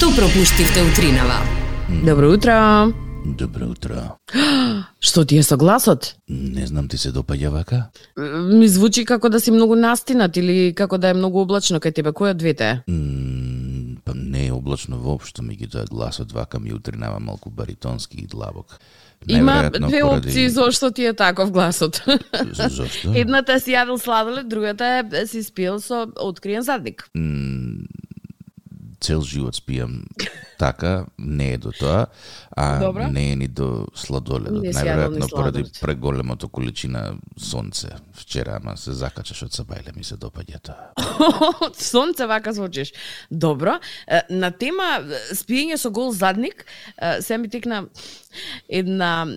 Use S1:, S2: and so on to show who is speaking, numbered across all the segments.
S1: Што пропуштивте утринава?
S2: Добро утро.
S3: Добро утро.
S2: Што ти е со гласот?
S3: Не знам, ти се допаѓа вака?
S2: Ми звучи како да си многу настинат или како да е многу облачно кај тебе. Кој од двете е?
S3: Па не е облачно воопшто, меѓутоа гласот вака ми утринава малку баритонски и длабок.
S2: Има две опции зошто ти е таков гласот.
S3: Зошто?
S2: Едната си јадел сладолед, другата е си спиел со откриен задник.
S3: Цел живот спијам така, не е до тоа, а
S2: Добро.
S3: не е ни до сладоледот.
S2: Не си јадел ни
S3: Најверојатно поради
S2: сладолед.
S3: преголемото количина сонце вчера, ама се закачаш од сабајле, ми се допаѓа тоа.
S2: Од сонце вака звучиш. Добро. На тема спиење со гол задник, се ми текна една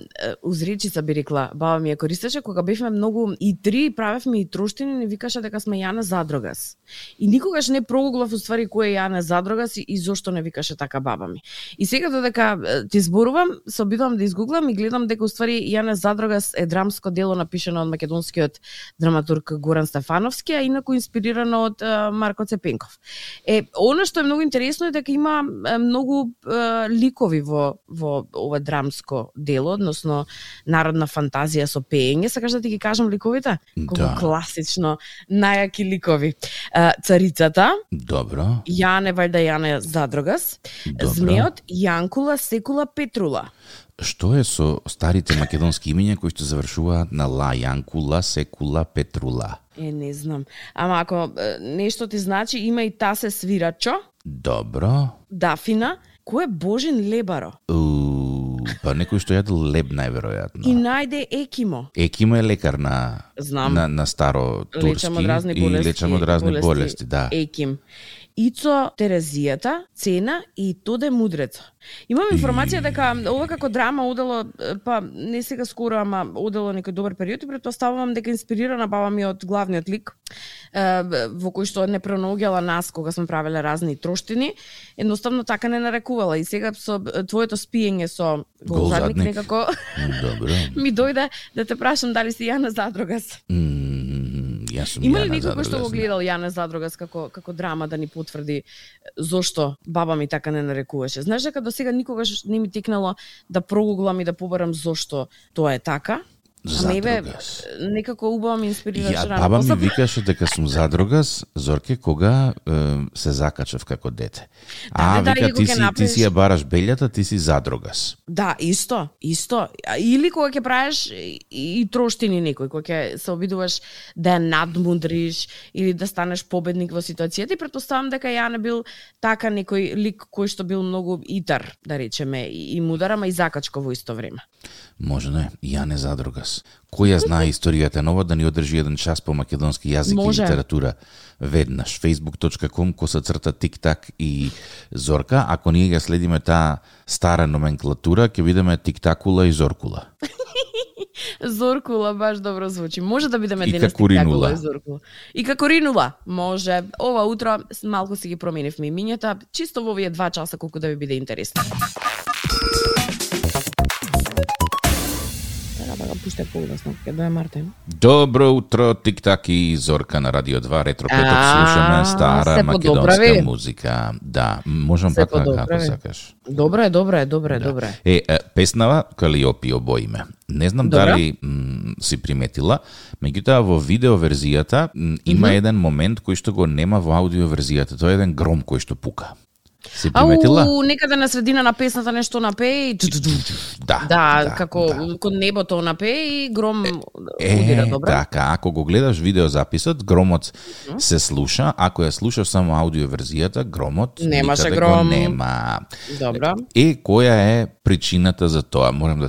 S2: узречица, би рекла, баба ми ја користеше кога бевме многу и три, правевме и троштини, не викаше дека сме Јане Задрогас. И никогаш не прогуглав уствари кој е Јане Задрогас и зошто не викаше така баба ми. И сега додека ти зборувам, се обидувам да изгуглам и гледам дека уствари Јане Задрогас е драмско дело напишано од македонскиот драматург Горан Стефановски, а инаку инспирирано од Марко Цепенков. Она што е многу интересно е дека има многу ликови во ова драмско дело, односно народна фантазија со пеење. Сакаш да ти ги кажам ликовите? Колку класично, најаки ликови. Царицата,
S3: Добро.
S2: Јане вајда Јане Задрогас,
S3: Добро.
S2: Змеот, Јанкула, Секула, Петрула.
S3: Што е со старите македонски имиња кои што завршуваат на ла, Јанкула, Секула, Петрула?
S2: Не знам. Ама ако нешто ти значи, има и Тасе Свирачо,
S3: Добро.
S2: Дафина, кој е Божин Лебаро
S3: Па некој што јадел леб најверојатно.
S2: и најде Екимо.
S3: Екимо е лекар на
S2: Знам.
S3: на старо турски
S2: Лечам од разни
S3: и
S2: болести.
S3: лечам од разни болести, да.
S2: Еким. Ицо Терезијата, Цена и Тоде Мудреца. Имам информација дека ова како драма одело, па не сега скоро, ама одело некој добар период и претпоставувам дека инспирирана баба ми од главниот лик, во кој што не пронаоѓала нас кога сме правеле разни троштини, едноставно така не нарекувала. И сега со твоето спиење со гол задник некако
S3: Добро.
S2: ми дојде да те прашам дали си Јане Задрогас.
S3: Јас сум
S2: Има ли
S3: Јана
S2: некој кој што го
S3: Задрогас,
S2: гледал Јане Задрогас како драма да ни потврди зошто баба ми така не нарекуваше? Знаеш дека до сега никогаш не ми текнало да прогуглам и да побарам зошто тоа е така? А мебе
S3: Задрогас.
S2: некако убаво ме инспирираше
S3: Ја,
S2: рано.
S3: баба ми викаше дека сум Задрогас, Зорке, кога се закачав како дете.
S2: Да,
S3: Вика,
S2: или кога ќе
S3: ти си ја бараш белјата, ти си Задрогас.
S2: Да, исто. Или кога ќе правиш и троштини некој, кога ќе се обидуваш да ја надмудриш или да станеш победник во ситуацијата и претпоставам дека Јане бил така некој лик кој што бил многу итар, да речеме, и мудар, ама и закачко во исто време.
S3: Можно е, Јане Задрогас. Кој ја знае историјата нова да ни одржи еден час по македонски јазик
S2: Може.
S3: и литература веднаш. facebook.com/тиктак и Зорка. Ако ние ја следиме таа стара номенклатура, ќе видиме тиктакула и зоркула.
S2: Зоркула баш добро звучи. Може да бидеме
S3: И
S2: денес
S3: Какоринула.
S2: и Зоркула. И Какоринула. Може. Ова утро малку си ги променивме имињата, чисто во овие 2 часа колку да ви биде интересно. Да го пуштам погласно, ќе дое Мартин.
S3: Добро утро, Тиктак и Зорка на Радио 2, Ретро Петок, слушаме стара
S2: се
S3: македонска
S2: подобрави.
S3: музика. Да, можам
S2: Се
S3: пак на
S2: подобрави.
S3: како сакаш.
S2: Добро е.
S3: Песнава Калиопи обоиме. Не знам
S2: Добра.
S3: дали си приметила, меѓутоа во видео верзијата има еден момент кој што го нема во аудио верзијата. Тоа е еден гром кој што пука. Си приметила?
S2: Некаде на средина на песната нешто напее и да, како кон небото напее и гром удира, добро.
S3: Така, ако го гледаш видеозаписот, громот се слуша, ако ја слушаш само аудио верзијата, громот
S2: Немаше
S3: никаде
S2: гром.
S3: го нема.
S2: Добро.
S3: Која е причината за тоа? Морам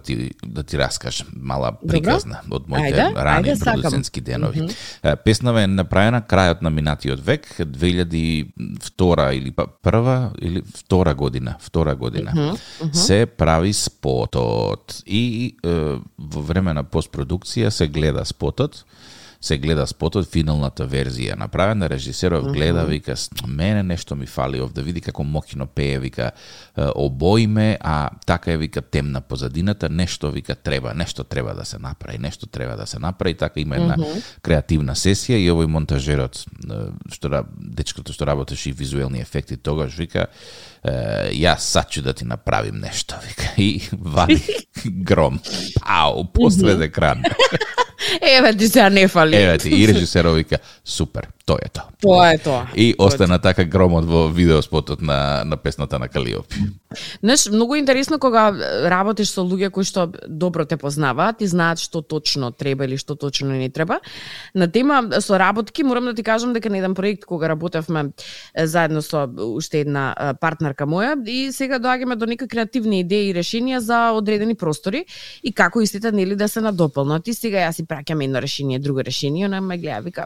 S3: да ти раскажам мала приказна од моите рани продуцентски денови. Песнава е направена крајот на минатиот век, 2002 или па прва или втора година, се прави спотот и во време на постпродукција се гледа спотот се гледа спотот, финалната верзија направена, режисеров гледа, вика, мене нешто ми фали овде, види како мокино пее, вика, обоиме, а така е, вика, темна позадината, нешто треба да се направи, така има една креативна сесија и овој монтажерот, дечкото што работеше и визуелни ефекти, тогаш вика, јас сачу да ти направим нешто, вика, и вади гром, пау, посред екран.
S2: Еве ти се не фали.
S3: Еве ти, и режисерот вика, супер, тоа е тоа.
S2: Тоа е тоа.
S3: И остана така громот во видеоспотот на песната на Калиопи.
S2: Знаеш, многу интересно кога работиш со луѓе кои што добро те познаваат и знаат што точно треба или што точно не треба. На тема со работки, морам да ти кажам дека на еден проект кога работевме заедно со уште една партнерка моја и сега доаѓаме до некои креативни идеи и решенија за одредени простори и како истите нели да се надополнат. И сега јас си праќам едно решение, друго решение, она ме гледа вика,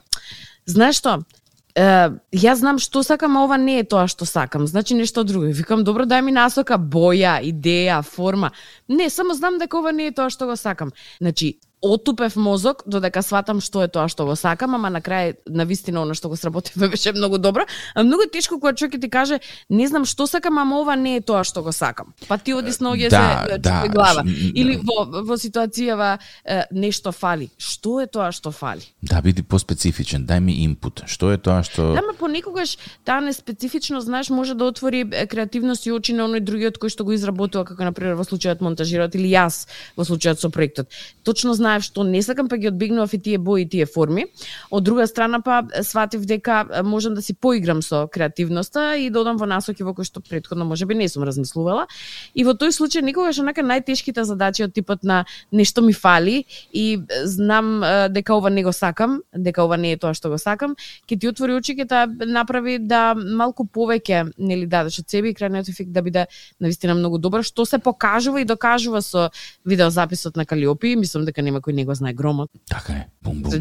S2: знаеш што? Јас знам што сакам, а ова не е тоа што сакам. Значи нешто друго. Викам, добро, дај ми насока, боја, идеја, форма. Не, само знам дека ова не е тоа што го сакам. Значи, отупев мозок додека сватам што е тоа што го сакам, ама на крај навистина она што го сработивме беше многу добро. А многу тешко кога човек ти каже не знам што сакам, ама ова не е тоа што го сакам. Па ти оди сноѓе се чупи глава. Или во ситуацијава нешто фали. Што е тоа што фали?
S3: Да, биди поспецифичен, дај ми инпут. Што е тоа што...
S2: Да, ма понекогаш таа неспецифично, знаеш, може да отвори креативност и очи на оној другиот кој што го изработува, како например во случајот монтажирот или јас во случајот со проектот. Точно знаев што не сакам, па ги одбегнував и тие бои и тие форми. Од друга страна па сватив дека можам да си поиграм со креативноста и да одам во насоки во кои што претходно можеби не сум размислувала. И во тој случај некогаш онака најтешките задачи од типот на нешто ми фали и знам дека ова не го сакам, дека ова не е тоа што го сакам, ќе ти отвори очи, ќе та направи да малку повеќе нели дадеш од себе и крајниот ефект да биде навистина многу добар, што се покажува и докажува со видеозаписот на Калиопи. Мислам дека нема кој не го знае громот.
S3: Така е. Бум-бум.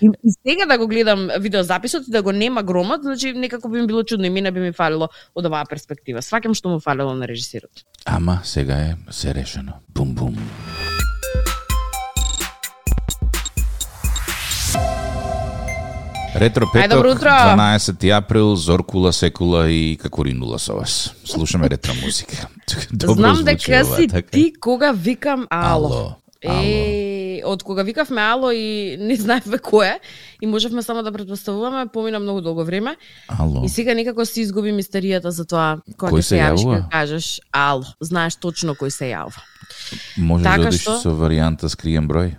S2: И сега да го гледам видеозаписот и да го нема громот, значи некако би ми било чудно и мене би ми фалило од оваа перспектива. Сваќам што му фалило на режисерот.
S3: Ама сега е се решено. Бум-бум. Ретро петок, 12 април, Зоркула, Секула и Какоринула со вас. Слушаме ретро музика.
S2: Знам дека си ти кога викам ало. Од кога викавме ало и не знаевме кој е и можевме само да претпоставуваме, помина многу долго време.
S3: Ало.
S2: И сега некако се изгуби мистеријата за тоа кога се јавиш и кажеш ало. Знаеш точно кој се јавува.
S3: Може да одиш со варијанта скриен број?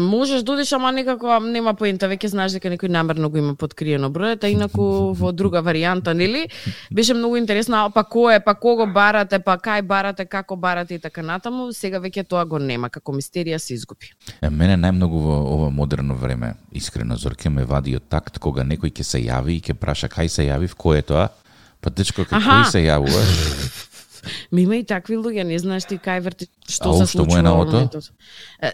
S2: Можеш да одиш, ама некако нема поента, веќе знаеш дека некој намерно го има подкриено бројот, а инаку во друга варијанта, нели? Беше многу интересно, па кој е, па кого барате, па кај барате, како барате и така натаму, сега веќе тоа го нема, како мистерија се изгуби.
S3: Мене најмногу во ова модерно време, искрено, Зорке, ме вади од такт кога некој ќе се јави и ќе праша кај се јави, кој е тоа? Па дечко, кој се јавува?
S2: Ми има и такви луѓе, не знаеш ти кај врти што се случува во моментот.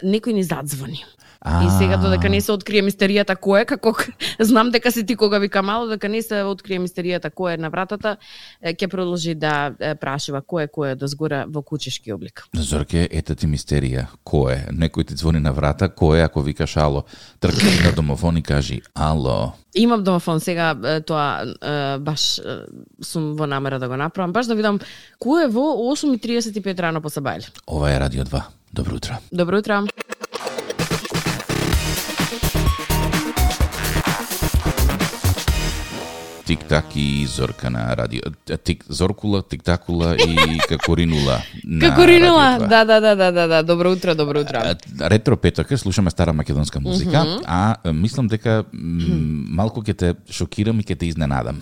S2: Некој ни задзвони. И сега додека не се открие мистеријата кој е, како знам дека си ти кога вика мало, дека не се открие мистеријата кој е на вратата, ќе продолжи да прашува кој е да згора во кучешки облик.
S3: Зорке, ета ти мистерија. Кој е? Некој ти звони на врата, кој е ако викаш ало? Тркни на домофон и кажи ало.
S2: Имам домофон сега, тоа баш сум во намера да го направам, баш да видам кој е во 8:35 рано по Сабајле.
S3: Ова е Радио 2. Добро утро.
S2: Добро утро.
S3: Тик-так и Зорка на радио. Зоркула, Тик-такула и Какоринула.
S2: Какоринула, да. Добро утро, добро утро.
S3: Ретро петок, слушаме стара македонска музика, а мислам дека малку ќе те шокирам и ќе те изненадам.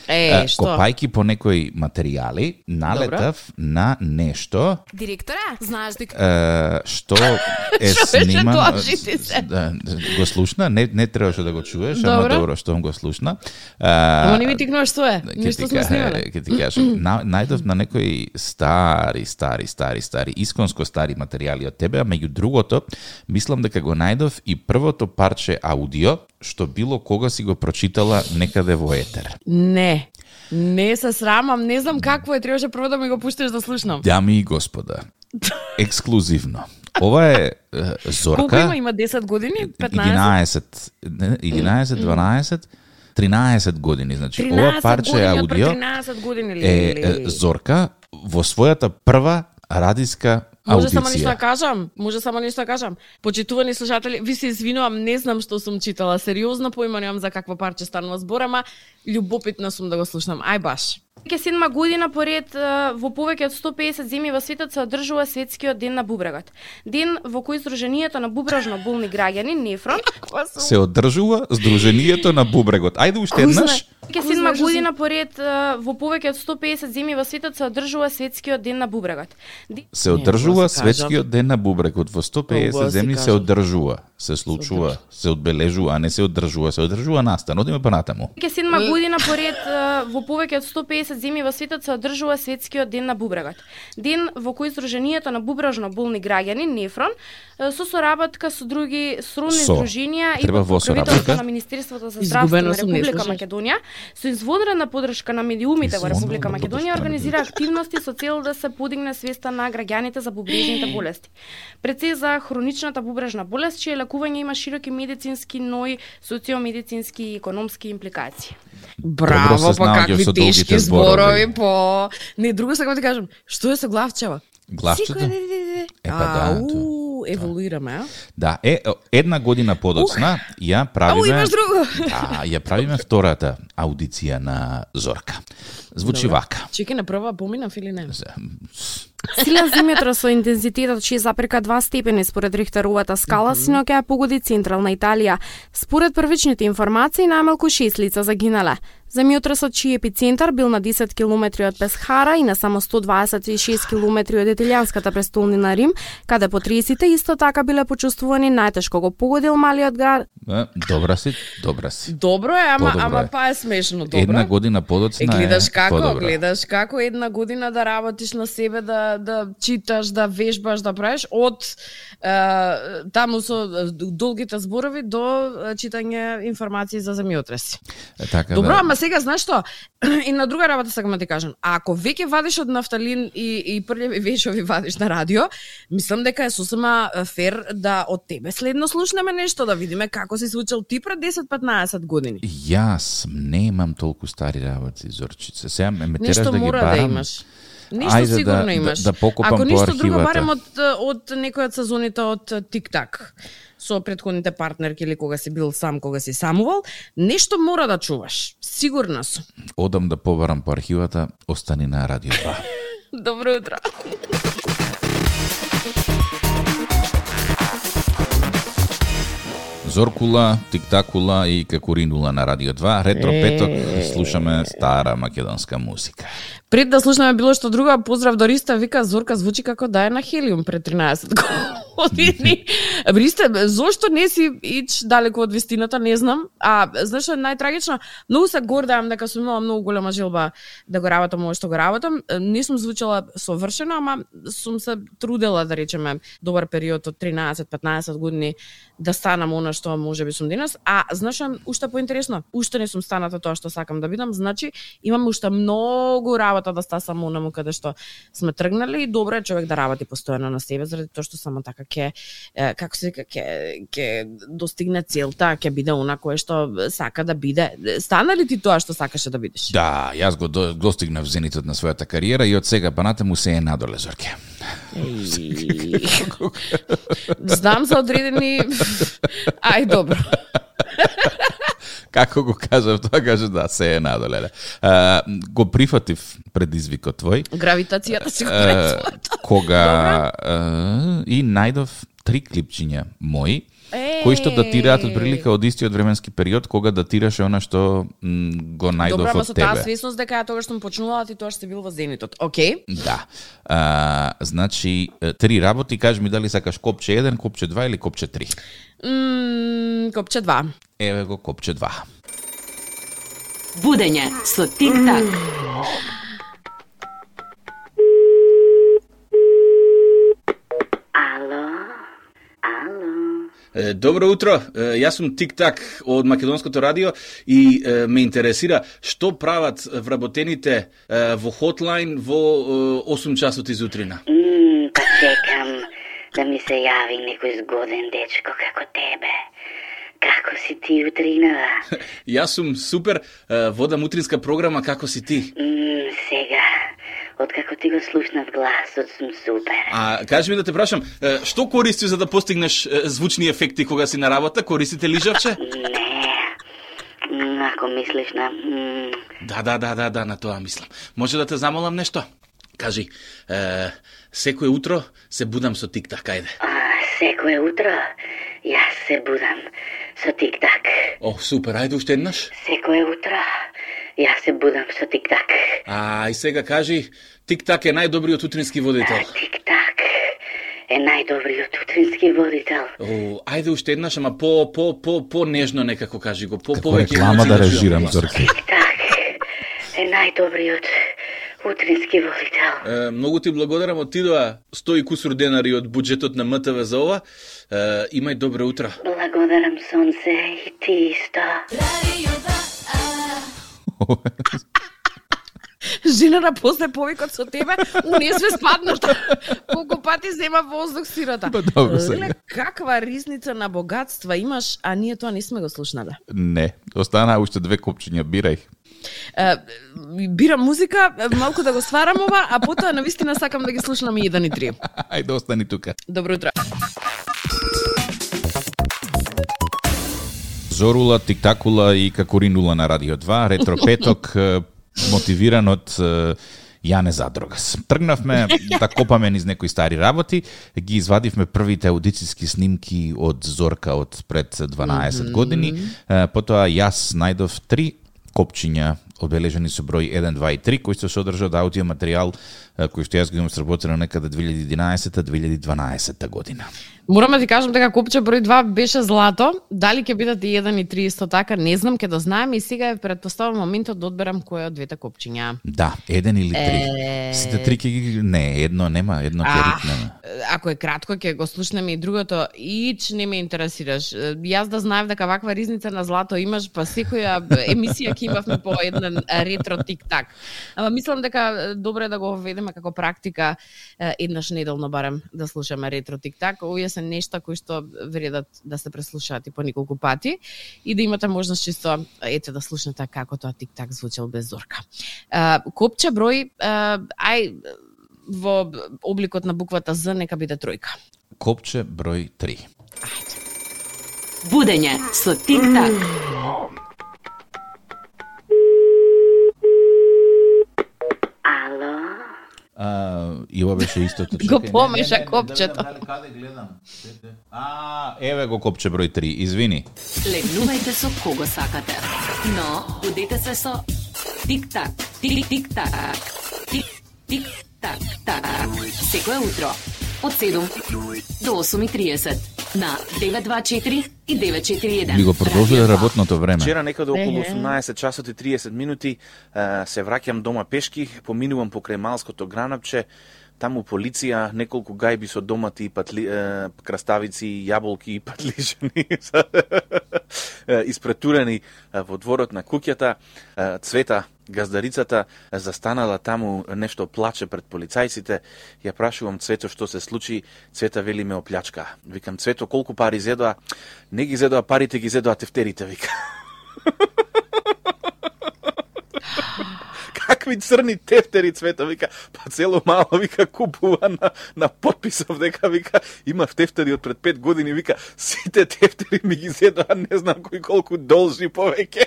S2: Што?
S3: Копајки по некои материјали, налетав на нешто.
S1: Директора, знаеш дека
S3: што е снимано. Го слушна, не требаше да го чуеш, ама добро што го слушна.
S2: Ама не ми тикнуваш што е, нешто сме снимале.
S3: Ќе ти кажам, најдов на некои стари, исконско стари материјали од тебе, а меѓу другото, мислам дека го најдов и првото парче аудио што било кога си го прочитала некаде во етер.
S2: Не се срамам, не знам какво е, требаше прво да ми го пуштиш да слушнам.
S3: Дами и господа, ексклузивно, ова е Зорка.
S2: Колку има 10 години? 15?
S3: 11, 12, 13 години. Значи, ова парче аудио
S2: 13 години
S3: е Зорка во својата прва радиска
S2: Може
S3: аудиција.
S2: само нешто да кажам. Почитувани слушатели, ви се извинувам, не знам што сум читала, сериозно поима немам за каква парче станува збор, ама љубопитна сум да го слушнам. Ај баш.
S4: Веќе 7 година поред во повеќе од 150 земји во светот се одржува светскиот ден на бубрегот. Ден во кој Сдруженијето на бубрежно болни граѓани Нефрон
S3: се одржува Сдруженијето на бубрегот. Ајде уште еднаш.
S4: Веќе 7 година поред во повеќе од 150 земји во светот се одржува светскиот ден на бубрегот.
S3: Се одржува светскиот ден на бубрегот во 150 земји се одржува, се случува, се одбележува, а не се одржува, се одржува настан. Одиме понатаму.
S4: Веќе 7 година поред во повеќе од 150 земји во светот се одржува светскиот ден на бубрегот. Ден во кој Сдруженијето на бубрежно болни граѓани Нефрон со соработка со други сродни здруженија и под покровителството на Министерството за здравство на Република Македонија, со изводрена поддршка на медиумите во Република Македонија организира активности со цел да се подигне свеста на граѓаните за бубрежните болести. Пред се за хроничната бубрежна болест, чие лекување има широки медицински, но и социомедицински и економски импликации.
S2: Браво, па какви тешки зборови, по... Не, друго сакам да кажам, што е со главчева?
S3: Главчето?
S2: Еволуираме, а?
S3: Да, една година подоцна ја правиме...
S2: имаш друго!
S3: Да, ја правиме втората аудиција на Зорка. Звучи вака.
S2: Чеки на прва поминав или не?
S4: Силен земјотрос со интензитетот 6,2 степени според Рихтеровата скала синоќа ја погоди централна Италија. Според првичните информации, најмалку 6 лица загинале. Земјотросот чиј епицентар бил на 10 километри од Песхара и на само 126 километри од италијанската престолнина Рим, каде потресите исто така биле почувствувани, најтешко го погодил малиот град.
S3: Добра си.
S2: Добро е, ама па е смешно, добро.
S3: Една година подоцна
S2: гледаш
S3: подобра.
S2: како една година да работиш на себе, да читаш, да вежбаш, да правиш од таму со долгите зборови до читање информации за земјотреси.
S3: Така,
S2: добро,
S3: да.
S2: ама сега знаеш што? И на друга работа сакам да ти кажам. Ако веќе вадиш од нафталин и прљави вешови вадиш на радио, мислам дека е сосема фер да од тебе следно слушнеме нешто, да видиме како си случил ти пред 10-15 години.
S3: Јас немам толку стари работи, Зорчица. Сега ме тераш
S2: нешто
S3: да ги
S2: мора
S3: барам.
S2: да имаш. Ништо сигурно имаш.
S3: Да покопам
S2: ако
S3: по
S2: ништо
S3: архивата.
S2: друго, барем од некој од сезоните од Тик-так со претходните партнерки или кога си бил сам, кога си самувал, нешто мора да чуваш. Сигурна сум.
S3: Одам да побарам по архивата, остани на Радио 2.
S2: Добро утро.
S3: Зоркула, Тиктакула и Какуринула на Радио 2. Ретро петок, слушаме стара македонска музика.
S2: Пред да слушнеме било што друго, поздрав до Риста, вика Зорка звучи како да е на хелиум пред 13 години. Ристе, зошто не си ич далеко од вистината, не знам. А знаеш што е најтрагично? Многу се гордеам дека сум имала многу голема желба да го работам ово што го работам. Не сум звучала совршено, ама сум се трудела, да речеме, добар период од 13-15 години да станам она што можеби сум денес. А знаеш што уште поинтересно? Уште не сум станата тоа што сакам да бидам, значи имам уште многу работа да стасам онаму каде што сме тргнали и добро е човек да работи постојано на себе заради тоа што само така ќе како се ќе достигне целта, ќе биде она кое што сака да биде. Стана ли ти тоа што сакаше да бидеш?
S3: Да, јас го достигнав зенитот на својата кариера и од сега па натаму се е надоле, Зорке.
S2: Знам за одредени... Ај, добро.
S3: Како го кажав, тоа каже да, се е надоле. Го прифатив предизвикот твој.
S2: Гравитацијата си го прави.
S3: Кога и најдов 3 клипчиња мои, кои што датираат од прилика од истиот временски период кога датираше она што го најдов
S2: добро,
S3: од тебе.
S2: Добро, ама со таа свесност дека ја тогаш сум почнувала, ти тоаш си бил во зенитот. Океј?
S3: Да. Значи, 3 работи, кажи ми дали сакаш копче 1, копче 2 или копче 3?
S2: Копче 2.
S3: Еве го копче 2.
S1: Будење со Тик-так.
S5: Добро утро, јас сум Тик-так од Македонското радио и ме интересира што прават вработените во хотлайн во 8 часот изутрина.
S6: Па да ми се јави некој згоден дечко како тебе. Како си ти утринава?
S5: Јас сум супер, водам утринска програма, како си ти?
S6: Сега, откако ти го слушнав гласот, сум супер.
S5: А кажи ми да те прашам, што користиш за да постигнеш звучни ефекти кога си на работа? Користите лижавче?
S6: Не, ако мислиш на...
S5: Да, на тоа мислам. Може да те замолам нешто? Кажи, секое утро се будам со тик-так, ајде.
S6: Секое утро јас се будам со тик-так.
S5: О, супер, ајде уште еднаш.
S6: Секое утро јас се будам со тик-так.
S5: И сега кажи, тик-так е најдобриот утрински водител.
S6: Тик-так е најдобриот утрински водител.
S5: Ајде уште еднаш, ама по нежно некако кажи го,
S3: Како реклама да режирам, Зорке.
S6: Тик-так е најдобриот утрински водител.
S5: Многу ти благодарам, од тидоа 100 и кусур денари од буџетот на МТВ за ова. Имај добро утро.
S6: Благодарам, сонце, и ти исто.
S2: Жената после повикот со тебе, унесве спадната. Колку пати зема воздух сирота.
S3: Добро сега.
S2: Каква ризница на богатства имаш, а ние тоа не сме го слушнале.
S3: Не, останаа уште 2 копчиња, бирај.
S2: Бирам музика, малку да го сварам ова, а потоа навистина сакам да ги слушнам и 1 и 3.
S3: Ајде, остани тука.
S2: Добро утро.
S3: Зорула, тиктакула и какоринула на Радио 2, ретро петок, мотивиран од Јане Задрогас. Тргнавме да копаме низ некои стари работи, ги извадивме првите аудицијски снимки од Зорка од пред 12 години, потоа јас најдов 3 копчиња одбележани со број 1, 2 и 3, кои се содржат аудио материјал кој што јас го имам сработено некаде 2011-2012 година.
S2: Морам да ти кажам дека копче број 2 беше злато, дали ќе бидат и 1 и 3 исто така, не знам, ќе да знаеме и сега е предпоставам моментот да одберам кој од двете копчиња.
S3: Да, 1 или 3. Сите 3 ќе ги... Не, едно нема, едно ќе ритнеме.
S2: Ако е кратко, ќе го слушнеме и другото, ич не ме интересираш. Јас да знаев дека ваква ризница на злато имаш, па секоја емисија ќе имавме по еден ретро тик-так. Ама мислам дека добре да го введеме како практика еднаш неделно барем да слушаме ретро тик-так. Овие се нешта кои што вредат да се преслушаат и по неколку пати и да имате можност чисто да слушнете како тоа тик-так звучел без Зорка. Копче број во обликот на буквата З нека биде тројка.
S3: Копче број 3.
S2: Ајде.
S1: Будење со тик-так.
S3: И ова беше истото.
S2: Го помеша копчето.
S3: Каде гледам? Еве го копче број 3. Извини.
S1: Легнувајте со кого сакате, но будете се со тик-так, тик-тик-так, тик-тик-так, так. Секое утро од 7 до 8:30 на 924 и 941.
S3: Би го продолжиле работното време.
S7: Вчера некаде околу 18 часот и 30 минути се враќам дома пешки, поминувам покрај Малското гранапче, таму полиција, неколку гајби со домати, краставици, јаболки и патлижани испретурени во дворот на куќата. Цвета, газдарицата, застанала таму, нешто плаче пред полицајците. Ја прашувам Цвето што се случи, Цвета вели ме оплячка. Викам, Цвето, колку пари зедоа? Не ги зедоа парите, ги зедоа тефтерите, вика. Какви црни тефтери, Цвета, вика, па цело мало, вика, купува на подписов, дека, вика, имав тефтери од пред 5 години, вика, сите тефтери ми ги зедоа, не знам кој колку должи повеќе.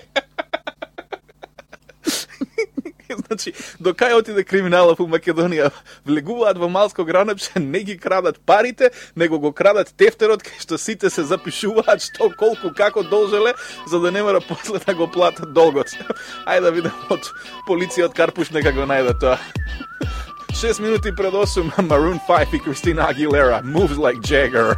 S7: Значи, до кај отиде криминалов у Македонија? Влегуваат во Малско гранапче, не ги крадат парите, него го крадат тефтерот, кај што сите се запишуваат што, колку, како должеле, за да не мора после да го платат долгот. Ајде да видам од полицијот Карпуш нека го најде тоа. 6 минути пред 8, Maroon 5 и Кристина Агилера, Moves Like Jagger.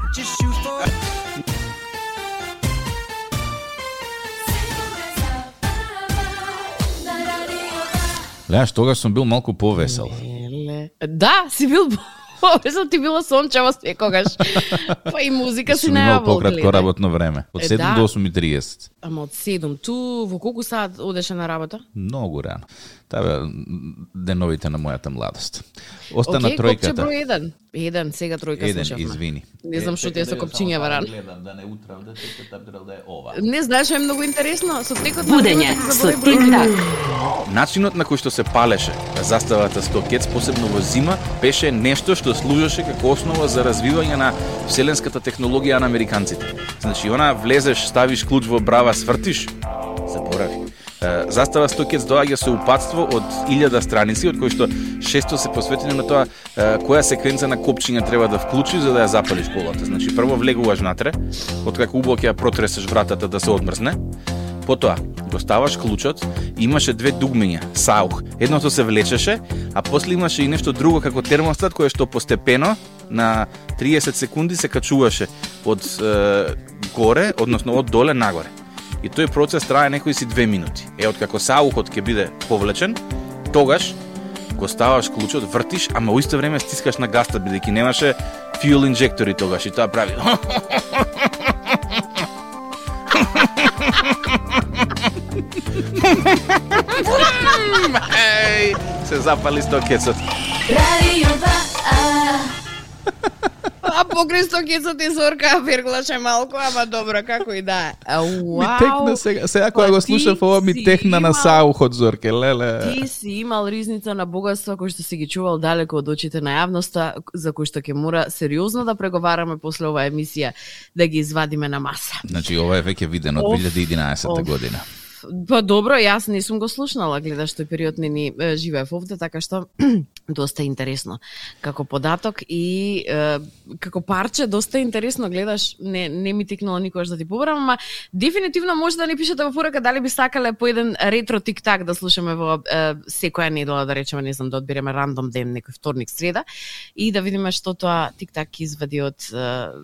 S3: Леаш, тогаш сум бил малку повесел.
S2: Да, си бил Обезно ти било сончево секогаш. Па и музика си најавол.
S3: Имал пократко работно време. Од 7 до 8:30.
S2: Ама од 7. Ту во колку саат одеше на работа?
S3: Многу рано. Таа деновите на мојата младост. Остана тројката.
S2: Копче број 1. 1, сега тројка слушавме.
S3: Извини.
S2: Не знам што ти е со копчиња рано.
S3: Гледам да не утравда, да е ова.
S2: Не знаеш, е многу интересно со текот на
S1: Будење со тик-так.
S7: Начинот на кој што се палеше заставата Стокец, посебно во зима, беше нешто што служеше како основа за развивање на вселенската технологија на американците. Значи, она влезеш, ставиш клуч во брава, свртиш, заборави. Застава Стокец доаѓа со упатство од 1000 страници, од кои што 600 се посветени на тоа која секвенца на копчиња треба да вклучиш за да ја запалиш колата. Значи, прво влегуваш натре, откако убаво ќе ја протресеш вратата да се одмрзне. Потоа го ставаш клучот, имаше две дугмиња, саух. Едното се влечеше, а после имаше и нешто друго како термостат кое што постепено на 30 секунди се качуваше од горе, односно од доле нагоре. И тој процес трае некои си 2 минути. Откако саухот ќе биде повлечен, тогаш го ставаш клучот, вртиш, ама во исто време стискаш на гаста, бидејќи немаше fuel инжектори тогаш и тоа прави. Се запали Стокецот.
S2: А покрај Стокецот и Зорка верглаше малку, ама добро, како и да е.
S3: Ми текна сега кога го слушав ова, ми текна на саухот, Зорке, леле.
S2: Ти си имал ризница на богатство кој што си ги чувал далеко од очите на јавноста, за кој што ќе мора сериозно да преговараме после оваа емисија, да ги извадиме на маса.
S3: Значи, ова е веќе видено од 2011 година.
S2: Па добро, јас не сум го слушнала, гледаш тој период не живеев овде, така што доста интересно како податок и како парче доста интересно гледаш, не ми тикнало никогаш да ти побарам, ама дефинитивно може да ни пишете во порака дали би сакале по еден ретро тик-так да слушаме во секоја недела, да речеме, не знам, да одбереме рандом ден, некој вторник, среда и да видиме што тоа тик-так извади од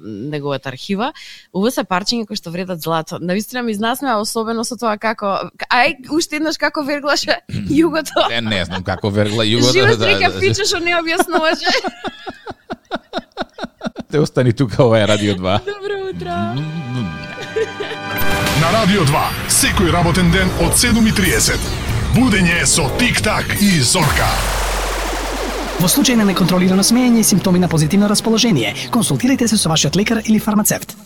S2: неговата архива. Ова се парчиња кои што вредат злато. Навистина ми изнасмеа, особено со тоа како уште еднаш како верглаше југото.
S3: Не знам како вергла југото.
S2: Живот река пиче што не објаснуваше.
S3: Те остани тука, ова е Радио 2.
S2: Добро утро.
S8: На Радио 2, секој работен ден од 7:30. Будење со Тик-так и Зорка.
S9: Во случај на неконтролирано смеење и симптоми на позитивно расположение, консултирайте се со вашиот лекар или фармацевт.